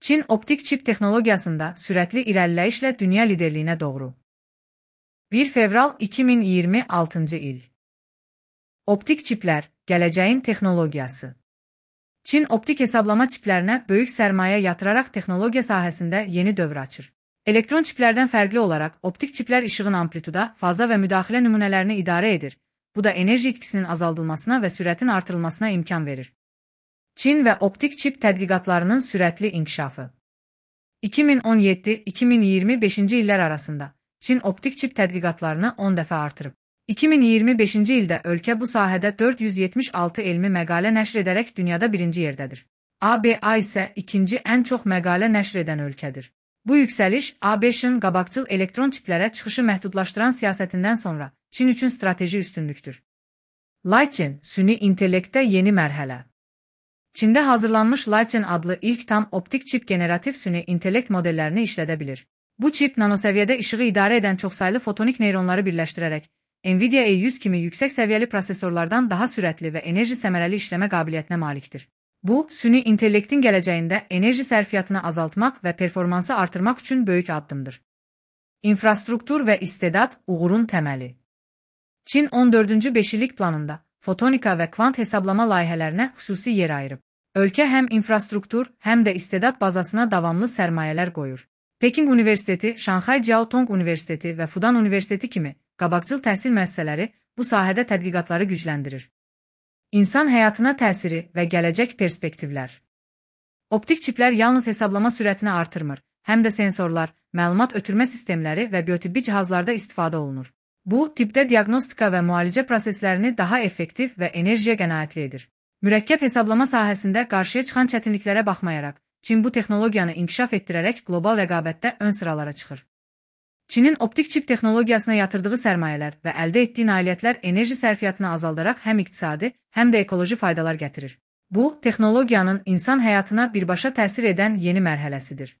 Çin optik çip texnologiyasında sürətli irəliləyişlə dünya liderliyinə doğru. 1 fevral 2026 il. Optik çiplər, gələcəyin texnologiyası. Çin optik hesablama çiplərinə böyük sərmayə yatıraraq texnologiya sahəsində yeni dövr açır. Elektron çiplərdən fərqli olaraq, optik çiplər işığın amplituda, faza və müdaxilə nümunələrini idarə edir. Bu da enerji itkisinin azaldılmasına və sürətin artırılmasına imkan verir. Çin və optik çip tədqiqatlarının sürətli inkişafı. 2017-2025-ci illər arasında Çin optik çip tədqiqatlarını 10 dəfə artırıb. 2025-ci ildə ölkə bu sahədə 476 elmi məqalə nəşr edərək dünyada birinci yerdədir. ABA isə ikinci ən çox məqalə nəşr edən ölkədir. Bu yüksəliş ABŞ-ın qabaqcıl elektron çiplərə çıxışı məhdudlaşdıran siyasətindən sonra Çin üçün strateji üstünlükdür. Lichen, süni intellektdə yeni mərhələ. Çində hazırlanmış Lichen adlı ilk tam optik çip generativ süni intellekt modellərini işlədə bilir. Bu çip nanosəviyyədə işığı idarə edən çoxsaylı fotonik neyronları birləşdirərək, Nvidia E100 kimi yüksək səviyyəli prosesorlardan daha sürətli və enerji səmərəli işləmə qabiliyyətinə malikdir. Bu, süni intellektin gələcəyində enerji sərfiyyatını azaltmaq və performansı artırmaq üçün böyük addımdır. İnfrastruktur və istedad uğurun təməli. Çin 14-cü beşillik planında fotonika və kvant hesablama layihələrinə xüsusi yer ayırıb. Ölkə həm infrastruktur, həm də istedad bazasına davamlı sərmayələr qoyur. Peking Universiteti, Şanxay Jiaotong Universiteti və Fudan Universiteti kimi qabaqcıl təhsil müəssisələri bu sahədə tədqiqatları gücləndirir. İnsan həyatına təsiri və gələcək perspektivlər. Optik çiplər yalnız hesablama sürətini artırmır, həm də sensorlar, məlumat ötürmə sistemləri və biotibbi cihazlarda istifadə olunur. Bu, tibbdə diaqnostika və müalicə proseslərini daha effektiv və enerjiyə qənaətli edir. Mürəkkəb hesablama sahəsində qarşıya çıxan çətinliklərə baxmayaraq, Çin bu texnologiyanı inkişaf etdirərək qlobal rəqabətdə ön sıralara çıxır. Çinin optik çip texnologiyasına yatırdığı sərmayələr və əldə etdiyi nailiyyətlər enerji sərfiyyatını azaldaraq həm iqtisadi, həm də ekoloji faydalar gətirir. Bu, texnologiyanın insan həyatına birbaşa təsir edən yeni mərhələsidir.